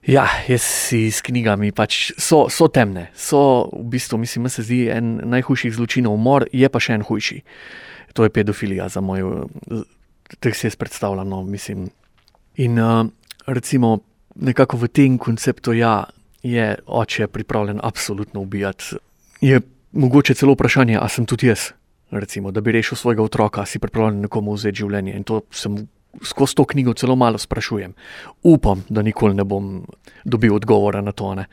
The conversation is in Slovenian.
Ja, jaz si s knjigami pač so temne. So v bistvu, mislim, se zdi en najhujših zločinov umor, je pa še en hujši. To je pedofilija za moj, tako si jaz predstavljam, no, mislim. In recimo nekako v tem konceptu, ja, je oče pripravljen absolutno ubijati. Je mogoče celo vprašanje, a sem tudi jaz, recimo, da bi rešil svojega otroka, si pripravljen nekomu vzeti življenje. In to sem skozi to knjigo celo malo sprašujem. Upam, da nikoli ne bom dobil odgovora na to, ne.